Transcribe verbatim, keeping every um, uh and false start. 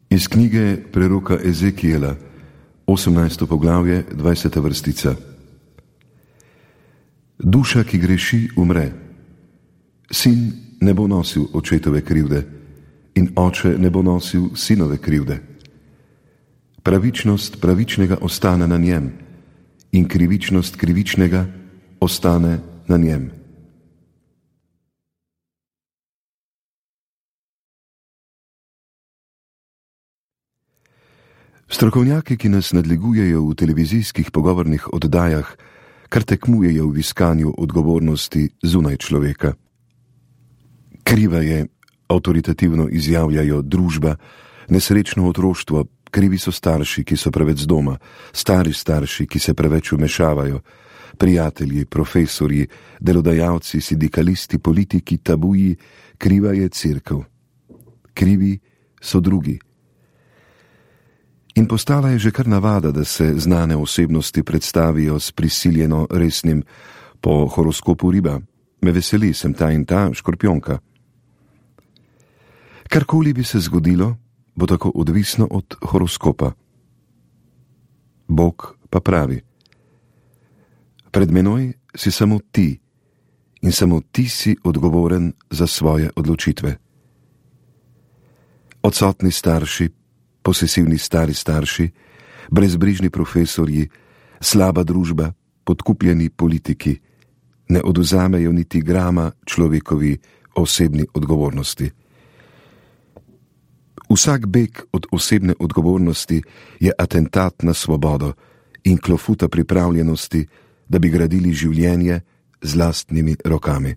Iz knjige preroka Ezekijela, osemnajsto poglavje, dvajseta vrstica. Duša, ki greši, umre. Sin ne bo nosil očetove krivde in oče ne bo nosil sinove krivde. Pravičnost pravičnega ostane na njem in krivičnost krivičnega ostane na njem. Strokovnjaki, ki nas nadlegujejo v televizijskih pogovornih oddajah, kar tekmujejo v iskanju odgovornosti zunaj človeka. Kriva je, avtoritativno izjavljajo, družba, nesrečno otroštvo, krivi so starši, ki so preveč doma, stari starši, ki se preveč vmešavajo, prijatelji, profesorji, delodajalci, sindikalisti, politiki, tabuji, kriva je cerkev. Krivi so drugi. In postala je že kar navada, da se znane osebnosti predstavijo s prisiljeno resnim po horoskopu riba. Me veseli, sem ta in ta škorpionka. Karkoli bi se zgodilo, bo tako odvisno od horoskopa. Bog pa pravi: pred menoj si samo ti in samo ti si odgovoren za svoje odločitve. Odsotni starši, posesivni stari starši, brezbrižni profesorji, slaba družba, podkupljeni politiki ne oduzamejo niti grama človekovi osebni odgovornosti. Vsak beg od osebne odgovornosti je atentat na svobodo in klofuta pripravljenosti, da bi gradili življenje z lastnimi rokami.